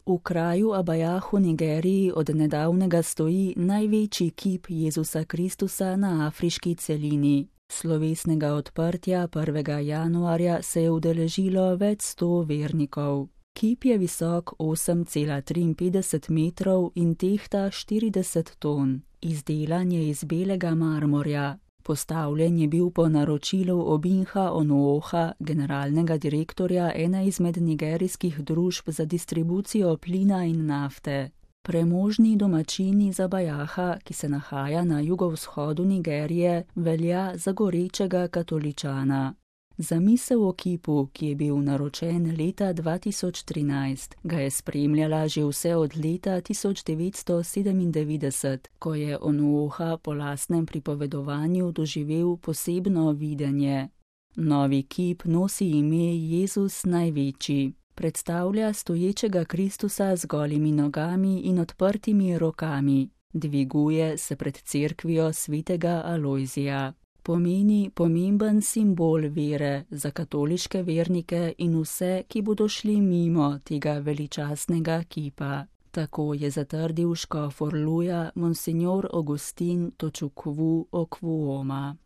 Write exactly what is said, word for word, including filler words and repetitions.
V kraju Abajah v Nigeriji od nedavnega stoji največji kip Jezusa Kristusa na afriški celini. Slovesnega odprtja prvega januarja se je udeležilo več sto vernikov. Kip je visok osem cela triinpetdeset metrov in tehta štirideset ton. Izdelan je iz belega marmorja. Postavljen je bil po naročilu Obinha Onuoha, generalnega direktorja ene izmed nigerijskih družb za distribucijo plina in nafte. Premožni domačin iz Abajaha, ki se nahaja na jugovzhodu Nigerije, velja za gorečega katoličana. Zamisel o kipu, ki je bil naročen leta dva tisoč trinajst, ga je spremljala že vse od leta tisoč devetsto sedemindevetdeset, ko je Onuoha po lastnem pripovedovanju doživel posebno videnje. Novi kip nosi ime Jezus največji. Predstavlja stoječega Kristusa z golimi nogami in odprtimi rokami. Dviguje se pred cerkvijo svetega Alojzija. Pomeni pomemben simbol vere za katoliške vernike in vse, ki bodo šli mimo tega veličastnega kipa. Tako je zatrdil škof Orluja, monsinjor Augustin Točukwu Okwuoma.